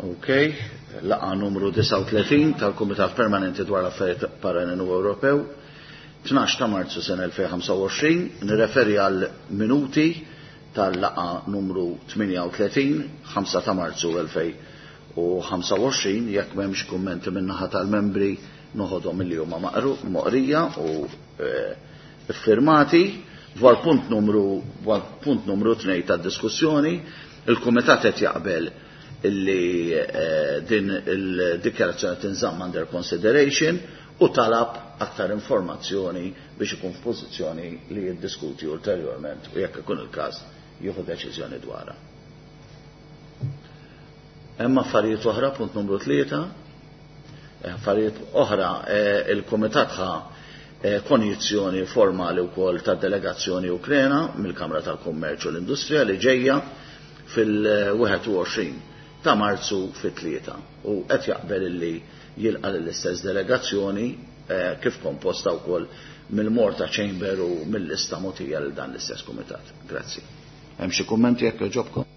Ok, laqgħa numru 39 tal-Kumitat Permanenti dwar l-Affarijiet Barranin u Ewropew, 12 ta' Marzu sena 2025, nirreferi għal minuti tal-laqgħa numru 38, 5 ta' Marzu 2025, jekk m'hemmx kummenti min-naħa tal-membri noħodhom milli huma moqrija u eh, iffirmati dwar punt numru dwar punt numru 2 tad-diskussjoni, il-Kumitat qed jaqbel illi eh, din il-dikjarazzjoni tinżamm under consideration u talab aktar informazzjoni biex ikun f'pożizzjoni li jiddiskuti ulterjorment u jekk ikun il-każ jieħu deċiżjoni dwarha. Hemm affarijiet oħra, punt numru 3, eh, affarijiet oħra eh, il-Kumitat ħa konjizzjoni formali wkoll tad-delegazzjoni Ukrena mill-Kamra tal-Kummerċ u l-Industrija li ġejja fil-21 ta' Marzu fit-3 u qed jaqbel illi jilqa' l-istess delegazzjoni eh, kif komposta wkoll mill-Malta Chamber u mill-lista mogħtija lil dan l-istess kumitat. Grazzi. Hemm xi kummenti jekk jogħġobkom?